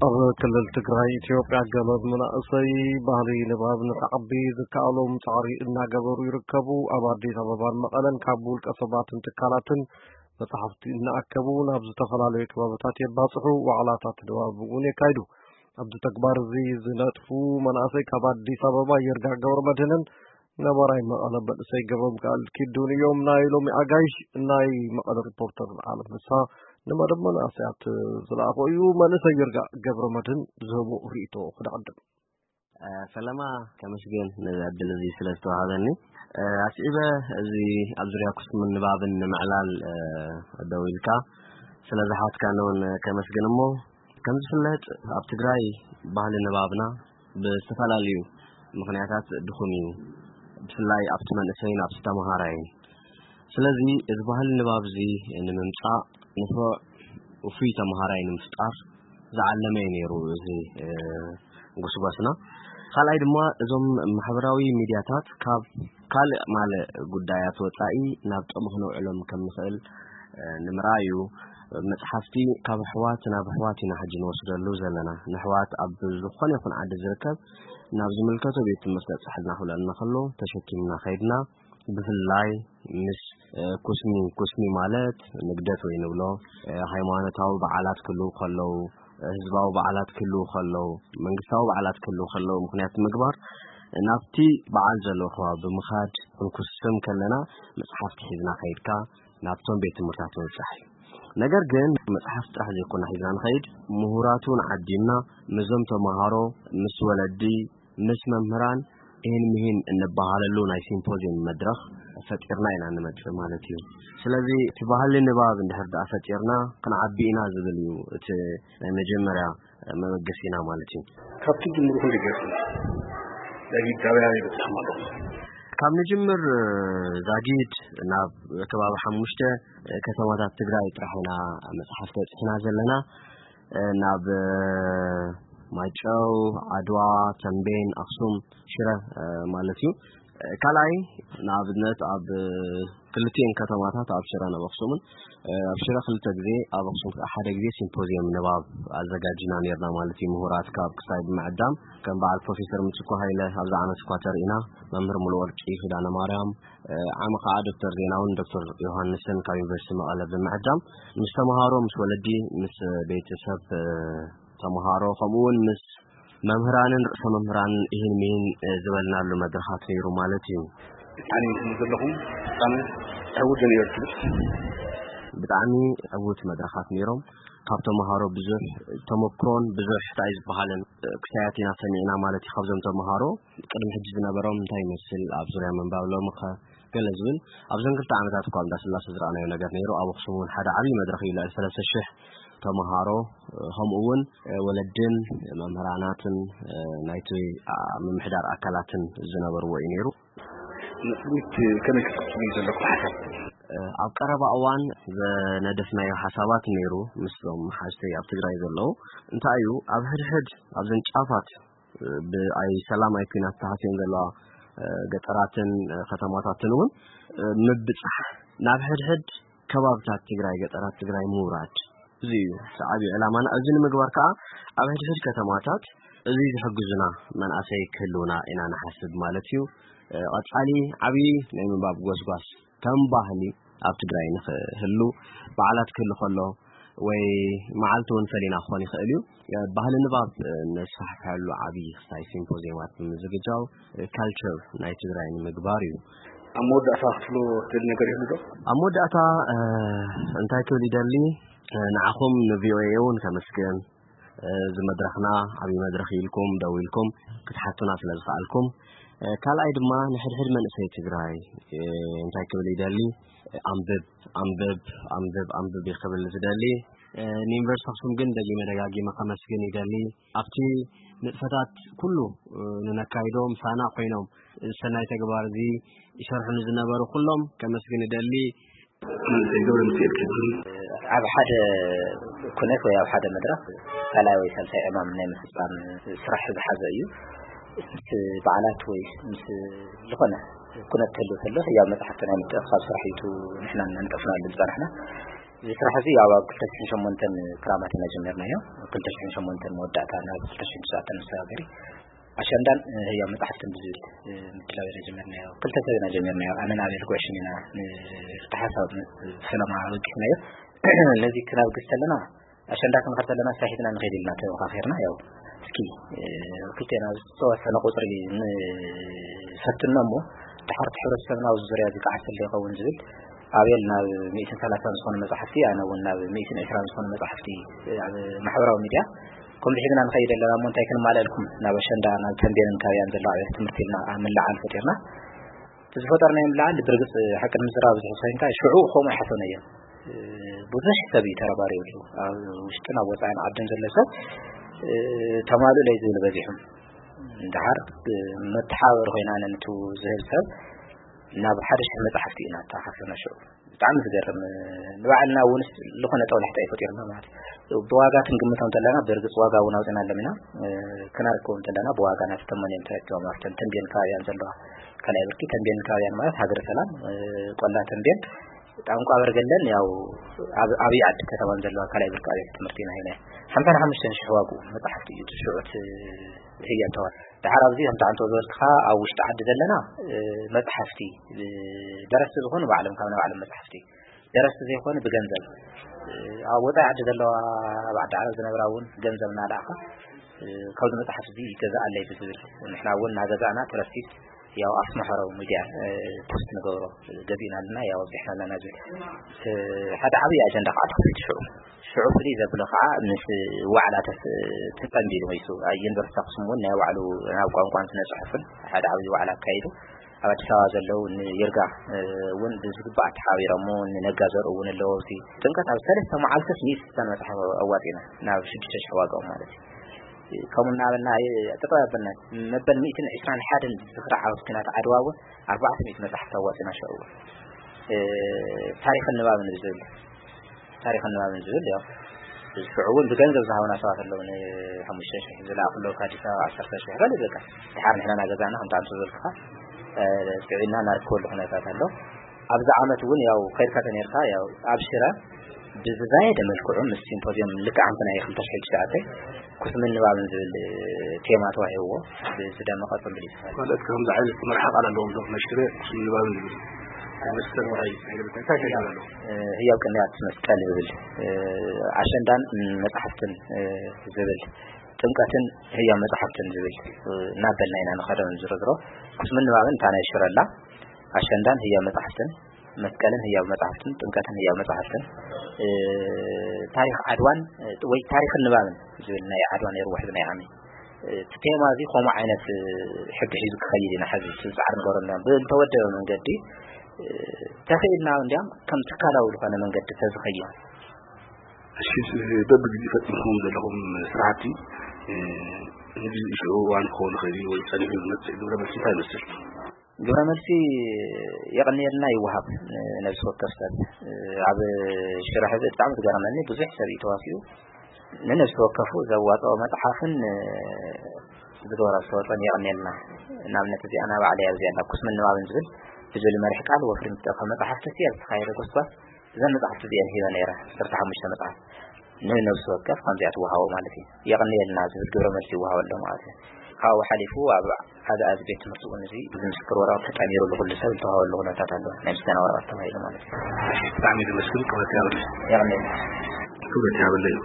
ኣብ ክልል ትግራይ ኢትዮጵያ ገለ መናእሰይ ባህሊ ንባብ ንክዓቢ ዝከኣሎም ጻዕሪ እናገበሩ ይርከቡ። ኣብ ኣዲስ ኣበባን መቐለን ካብ ውልቀ ሰባትን ትካላትን መጽሓፍቲ እናኣከቡ ናብ ዝተፈላለዩ ከባብታት የባጽሑ፣ ዋዕላታት ንባብ እውን የካይዱ። ኣብዚ ተግባር እዚ ዝነጥፉ መናእሰይ ካብ ኣዲስ ኣበባ ይርጋ ገብረ መድህንን ነባራይ መቐለ መንእሰይ ገብረ ሚካኤል ኪዱን እዮም። ናይ ሎሚ ኣጋይሽ ናይ መቐለ ሪፖርተር ዓለም ፍስሃ ንመደብ መናእሰያት ዝለኣኾ እዩ። መንእሰይ ይርጋ ገብረ መድህን ዝህቦ ርእይቶ ክድዕድም። ሰለማ፣ ከመስገን ነዚ ዕድል እዚ ስለ ዝተዋሃበኒ። ኣስዒበ፣ እዚ ኣብ ዙርያ ኩስምን ንባብን ንምዕላል ደው ኢልካ ስለ ዝሓትካኒ እውን ከመስግን። እሞ ከም ዝፍለጥ፣ ኣብ ትግራይ ባህሊ ንባብና ብዝተፈላለዩ ምኽንያታት ድኹም እዩ፣ ብፍላይ ኣብቲ መንእሰይን ኣብቲ ተምሃራይን። ስለዚ እዚ ባህሊ ንባብ እዚ ንምምጻእ፣ ንፉዕ ውፉይ ተምሃራይ ንምፍጣር ዝዓለመ እዩ ነይሩ እዚ፣ እ፣ ጉስጓስና። ካልኣይ ድማ፣ እዞም ማሕበራዊ ሚድያታት ካብ ካልእ ማልእ ጉዳያት ወጻኢ ናብ ጥቕሚ ክነውዕሎም ከም ንኽእል፣ እ፣ ንምርኣይ እዩ። መጽሓፍቲ ካብ ኣሕዋት ናብ ኣሕዋት ኢና ሕጂ ንወስደሉ ዘለና። ንኣሕዋት ኣብ ዝኾነ ይኹን ዓዲ ዝርከብ ናብ ዝምልከቶ ቤት ትምህርቲ ኣብጻሕልና ክብለና ከሎ ተሸኪምና ከይድና፣ ብፍላይ ምስ፣ እ፣ ኩስሚ፣ ኩስሚ ማለት ንግደት ወይ ንብሎ፣ እ፣ ሃይማኖታዊ በዓላት ክህልዉ ከለዉ፣ እ፣ ህዝባዊ በዓላት ክህልዉ ከለዉ፣ መንግስታዊ በዓላት ክህልዉ ከለዉ ምኽንያት ምግባር፣ ናብቲ በዓል ዘለዎ ከባቢ ብምኻድ ክንኩስም ከለና መጽሓፍቲ ሒዝና ከይድካ ናብቶም ቤት ትምህርታት ምብጻሕ እዩ። ነገር ግን መጽሓፍቲ ጥራሕ ዘይኮና ሒዝና ንኸይድ፣ ምሁራት እውን ዓዲምና ምስዞም ተምሃሮ፣ ምስ ወለዲ፣ ምስ መምህራን፣ ይህን ምሂን እንበሃለሉ ናይ ሲምፖዚየም መድረኽ ፈጢርና ኢና እንመጽእ ማለት እዩ። ስለዚ እቲ ባህሊ ንባብ እንድሕር ደኣ ፈጢርና ክንዓቢ ኢና ዝብል እዩ እቲ ናይ መጀመርያ መበገሲና ማለት እዩ። ካብ ትጅምሩ ክንደይ ገጽ ዳዊት ዳውያ ይበጽሕ ማለት? ካብ ንጅምር ዛጊድ ናብ ከባቢ ሓሙሽተ ከተማታት ትግራይ ጥራሕ ኢና መጽሓፍቲ በጺሕና ዘለና። ናብ ማይጨው፣ ዓድዋ፣ ተምቤን፣ ኣኽሱም፣ ሽረ ማለት እዩ። ካልኣይ ንኣብነት ኣብ ክልቲኤን ከተማታት ኣብ ሽረን ኣብ ኣኽሱምን፣ ኣብ ሽረ ክልተ ግዜ፣ ኣብ ኣኽሱም ከዓ ሓደ ግዜ ሲምፖዚየም ንባብ ኣዘጋጅና ነርና ማለት እዩ። ምሁራት ካብ ክሳይ ብምዕዳም ከም በዓል ፕሮፌሰር ምትኩ ሃይለ ኣብዚ ዓመት እኳ ተርኢና፣ መምህር ሙሉወርቂ ኪዳነ ማርያም፣ ዓሚ ከዓ ዶክተር ዜናውን ዶክተር ዮሃንስን ካብ ዩኒቨርሲቲ መቐለ ብምዕዳም ምስ ተምሃሮ፣ ምስ ወለዲ፣ ምስ ቤተሰብ ተምሃሮ ከምኡ እውን ምስ መምህራንን ርእሰ መምህራንን እሂን ምሂን ዝበልናሉ መድረኻት ነይሩ ማለት እዩ። ብጣዕሚ እንትን ዘለኹም ብጣዕሚ ዕውት ነይሩ ትብል። ብጣዕሚ ዕውት መድረኻት ነይሮም። ካብ ተምሃሮ ብዙሕ ተመክሮን ብዙሕ እንታይ ዝበሃልን ክሳያት ኢና ሰሚዕና ማለት እዩ። ካብዞም ተምሃሮ ቅድሚ ሕጂ ዝነበሮም እንታይ ይመስል ኣብ ዙርያ ምንባብ ሎሚ ከ ገለ ዝብል ኣብዘን ክልተ ዓመታት እኳ ኣብ እንዳስላሴ ዝረኣናዮ ነገር ነይሩ። ኣብ ኣኽሱም እውን ሓደ ዓብዪ መድረኽ እዩ። ልዕሊ ሰለስተ ሽሕ ተምሃሮ ከምኡ እውን ወለድን መምህራናትን ናይቲ ምምሕዳር ኣካላትን ዝነበርዎ እዩ ነይሩ። ንቅድሚት ከመይ ክትቅፅሉ እዩ ዘለኩም ሓሳብ? ኣብ ቀረባ እዋን ዘነደፍናዮ ሓሳባት ነይሩ ምስዞም ሓዝተይ ኣብ ትግራይ ዘለዉ። እንታይ እዩ ኣብ ሕድሕድ ኣብዘን ጫፋት ብኣይ ሰላም ኣይ ኲናት ተሃስየን ዘለዋ ገጠራትን ከተማታትን እውን ምብፃሕ ናብ ሕድሕድ ከባብታት ትግራይ፣ ገጠራት ትግራይ ምውራድ። እዚ እዩ እቲ ዓብዪ ዕላማና። እዚ ንምግባር ከዓ ኣብ ሕድሕድ ከተማታት እዚ ዝሕግዙና መናእሰይ ክህልውና ኢና ንሓስብ ማለት እዩ። ቀፃሊ ዓብዪ ናይ ምንባብ ጎስጓስ ከም ባህሊ ኣብ ትግራይ ንኽህሉ በዓላት ክህሉ ከሎ ወይ መዓልቲ እውን ፈሊና ክኾን ይኽእል እዩ። ባህሊ ንባብ ነስፋሕፍሐሉ ዓብዪ ክስታይ ሲምፖዚየማት ብምዝግጃው ካልቸር ናይ ትግራይ ንምግባር እዩ። ኣብ መወዳእታ ክትብሎ ትደሊ ነገር ይህሉ ዶ? ኣብ መወዳእታ እንታይ ክብል ይደሊ? ንዓኹም ንቪኦኤ እውን ከመስግን፣ እዚ መድረኽና ዓብዪ መድረኽ ኢልኩም ደው ኢልኩም ክትሓቱና ስለ ዝኸኣልኩም። ካልኣይ ድማ ንሕድሕድ መንእሰይ ትግራይ እንታይ ክብል ይደሊ? ኣንብብ፣ ኣንብብ፣ ኣንብብ፣ ኣንብብ እዩ ክብል ዝደሊ። ንዩኒቨርሲቲ ኣኽሱም ግን ደጊመ ደጋጊመ ከመስግን ይደሊ። ኣብቲ ንጥፈታት ኩሉ ንነካይዶ ምሳና ኮይኖም ሰናይ ተግባር እዚ ይሰርሑ ንዝነበሩ ኩሎም ከመስግን ይደሊ። መንእሰይ ገብረ ሚካኤል ኪዳነ። ኣብ ሓደ ኩነት ወይ ኣብ ሓደ መድረኽ ካልኣይ ወይ ሳልሳይ ዕማም ናይ ምፍፃም ስራሕ ዝሓዘ እዩ። ምስ በዓላት ወይ ምስ ዝኾነ ኩነት ክህሉ ከሎ ህያብ መፅሓፍቲ ናይ ምትእኽኻብ ስራሕ እዩ ንሕና ነንጠፍናሉ ዝፀናሕና። እዚ ስራሕ እዚ ኣብ ኣብ ክልተ ሽሕን ሸሞንተን ክራማት ኢና ጀመርናዮ። ክልተ ሽሕን ሸሞንተን መወዳእታ ናብ ክልተ ሽሕን ትሽዓተን መሰጋገሪ ኣሸንዳን ህያው መጻሕፍትን ብዝብል ምድላው ኢና ጀመርናዮ። ክልተ ሰብ ኢና ጀመርናዮ። ኣነን ኣቤል ጉዕሽን ኢና ንተሓሳብ ምስ ፈለማ ወቂፍናዮ። ነዚ ክነብግስ ከለና ኣሸንዳ ክንኸድ ከለና ስራሕ ሒዝና ንኸይድ ኢልና ተመኻኺርና። ያው እስኪ ክልቴና ዝተወሰነ ቁፅሪ ንፈትኖ እሞ ድሓር እቲ ሕብረተሰብና ኣብዚ ዙርያ እዚ ክዓስል ይኸውን ዝብል ኣቤል ናብ ሚእትን ሰላሳን ዝኾኑ መጻሕፍቲ፣ ኣነ እውን ናብ ሚእትን ዕስራን ዝኾኑ መጻሕፍቲ ኣብ ማሕበራዊ ሚድያ ከምዚ ሒዝና ንኸይድ ኣለና እሞ እንታይ ክንማልኣልኩም ናብ ኣሸንዳ ናብ ተንቤንን ካባቢኣን ዘለዋ ኣብያተ ትምህርቲ ኢልና ኣብ ምልዓል ፈጢርና። እቲ ዝፈጠርናዮ ምልዓል ብርግፅ ሓቂ ንምዝራብ ብዙሕ ሰንካ ሽዑ ከምኡ ኣይሓሰብናዮን። ብዙሕ ሰብ እዩ ተረባሪቡ። ኣብ ውሽጥን ኣብ ወፃእን ዓድን ዘሎ ሰብ ተማልኡ ለይ ዝብል በዚሑ። እንድሓር መተሓባበሪ ኮይና ነንቱ ዝህብ ሰብ ናብ ሓደ ሽሕ መፅሓፍቲ ኢና ተሓሰብና ሽዑ። ብጣዕሚ ዝገርም። ንባዕልና እውን ዝኾነ ጠውላሕታ ይፈጢርና ማለት እዩ። ብዋጋ ክንግምቶም እንተለና ብርግፅ ዋጋ እውን ኣውፅና ኣለሚና ክነርክቦም እንተለና ብዋጋ ናተተመንዮም ተረኪቦም ኣብተን ተንቤን ከባቢያን ዘለዋ ካልኣይ ብርኪ ተንቤን ከባቢያን ማለት ሃገረ ሰላም ቆላ ተንቤን ጣንቋ በርገለን ያው ኣብ ዓብዪ ዓዲ ከተማን ዘለዋ ካልኣይ ብርኪ ኣብያተ ትምህርቲ ኢና ሂና ሓምሳን ሓሙሽተን ሽሕ ዋግኡ መፅሓፍቲ እዩ እቲ ሽዑ እቲ ህያብ ተዋሂቡ። ድሓር ኣብዚ ከምቲ ኣንቶ ዝበልክኻ ኣብ ውሽጢ ዓዲ ዘለና መፅሓፍቲ ደረስቲ ዝኾኑ ባዕሎም ካብ ናይ ባዕሎም መፅሓፍቲ ደረስቲ ዘይኮኑ ብገንዘብ ኣብ ወፃኢ ዓዲ ዘለዋ ኣብ ዓዲ ዓረብ ዝነብራ እውን ገንዘብ እናለኣኻ ካብዚ መፅሓፍ እዚ ይገዛኣለይ ብዝብል ንሕና እውን እናገዛእና ትረስቲት ያው ኣስመሐረው ሚድያ ፖስት ንገብሮ ገዚእና ኣለና ያው ኣብዚሕና ኣለና ዝብል ሓደ ዓብዪ ኣጀንዳ ከዓ ተኸፊቱ ሽዑ ሽዑ ፍልይ ዘብሎ ከዓ ምስ ዋዕላ ተጸምቢሉ መይሱ ዩኒቨርሲቲ ኣክሱም እውን ናይ ባዕሉ ናብ ቋንቋን ስነ ፅሑፍን ሓደ ዓብዪ ዋዕላ ኣካይዱ ኣብ ኣዲስ ኣበባ ዘለዉ ንይርጋ እውን ብዝግባእ ተሓቢሮሞ ንነጋ ዘርኡ እውን ኣለዎ ኣብዚ ጥምቀት ኣብ ሰለስተ መዓልትስ ሚእቲ ስሳን መፅሓፍ ኣዋፂና ናብ ሽዱሽተ ሽሕ ዋጋኦም ማለት እዩ ከምኡ እናበልና ጥጠው ኣበልና መበል ሚእትን ዕስራን ሓደን ዝኽሪ ዓወት ኩናት ዓድዋ እውን ኣርባዕተ ሚእቲ መፅሓፍቲ ኣዋፂና ሽዑ እውን ታሪኽን ንባብን ብዝብል ታሪኽን ንባብን ዝብል ያው ሽዑ እውን ብገንዘብ ዝሃቡና ሰባት ኣለዉ ንሓሙሽተ ሽሕ ዝለኣኽሎ ካብ ኣዲስ ኣበባ ዓሰርተ ሽሕ ካልእ በቃ ድሓር ንሕና እናገዛእና ከምቲ ኣንተ ዝበልክኻ ጥዕና እናረክበሉ ኩነታት ኣሎ ኣብዚ ዓመት እውን ያው ከይድካ ተነርካ ያው ኣብ ሽረ ብዝዛየደ መልክዑ ምስ ሲምፖዚየም ልክዕ ኣምቲ ናይ ክልተ ሽሕ ትሽዓተ ኩስምን ንባብን ዝብል ቴማ ተዋሂብዎ ብዝደመቐ ፅምብል እዩ ተኻይዱ። ካልኦት ከምዚ ዓይነት መርሓ ቃል ኣለዎም ዶ? ናይ ሽረ ኩስምን ንባብን ዝብል መስቀል ወራይ ናይ ገለ እንታይ እንታይ ኣለዎ? ህያው ቅንያት መስቀል ዝብል ኣሸንዳን መፅሓፍትን ዝብል ጥምቀትን ህያው መፅሓፍትን ዝብል እናበልና ኢና ንኸዶ ንዝርዝሮ ኩስምን ንባብን እታ ናይ ሽረ ኣላ ኣሸንዳን ህያው መፅሓፍትን መስቀልን ህያው መፅሓፍትን ጥምቀትን ህያው መፅሓፍትን ታሪኽ ዓድዋን ወይ ታሪኽን ንባብን ዝብል ናይ ዓድዋ ነይሩ ውሕዚ ናይ ዓሚ እቲ ቴማ እዚ ከምኡ ዓይነት ሕጊ ሒዙ ክኸይድ ኢና ሕዚ ፃዕሪ ንገረና ብዝተወደበ መንገዲ ተኽኢልና እንዲያም ከም ትካላዊ ዝኾነ መንገዲ ተዝኸይድ እሺ በብግዜ ፈፂምኩም ዘለኹም ስራሕቲ ንግዜ ሽዑ እዋን ክኸውን ይኽእል እዩ ወይ ፀኒሑ ዝመፅእ ግብረ መልሲ እንታይ ይመስል? ግብረ መልሲ የቐንየልና ይወሃብ ነብሲ ወከፍ ሰብ ኣብ ሽረ ሕዚ ብጣዕሚ ዝገረመኒ ብዙሕ ሰብ እዩ ተዋሲኡ ንነብሲ ወከፉ ዘዋፅኦ መፅሓፍን ዝገበሮ ኣስተዋፅኦን የቐንየልና ንኣብነት እዚኣ ናብ ዓለያ እዚኣ ናብ ኩስምን ንባብን ዝብል ብዝብል መርሒ ቃል ወፍሪ ምትእኸ መፅሓፍቲ እቲ ኣብ ዝተኻየደ ጎስጓስ እዘን መፅሓፍቲ እዚአን ሂበ ነይረ ዓሰርተ ሓሙሽተ መፅሓፍ ንነብሲ ወከፍ ከምዚኣ ትወሃቦ ማለት እዩ የቐንየልና ዝብል ግብረ መልሲ ይወሃበሎም ማለት እዩ ካብኡ ሓሊፉ ኣብ ሓደ ኣዚ ቤት ትምህርቲ እውን እዚ እዚ ምስክር ወረቐት ተጣሚሩ ዝኩሉ ሰብ ዝተዋሃበሉ ኩነታት ኣሎ ናይ ምስጋና ወረቐት ተባሂሉ ማለት እዩ ብጣዕሚ ዘመስግን ክብረት ያብለይ የቐንየልና ክብረት ያብለይ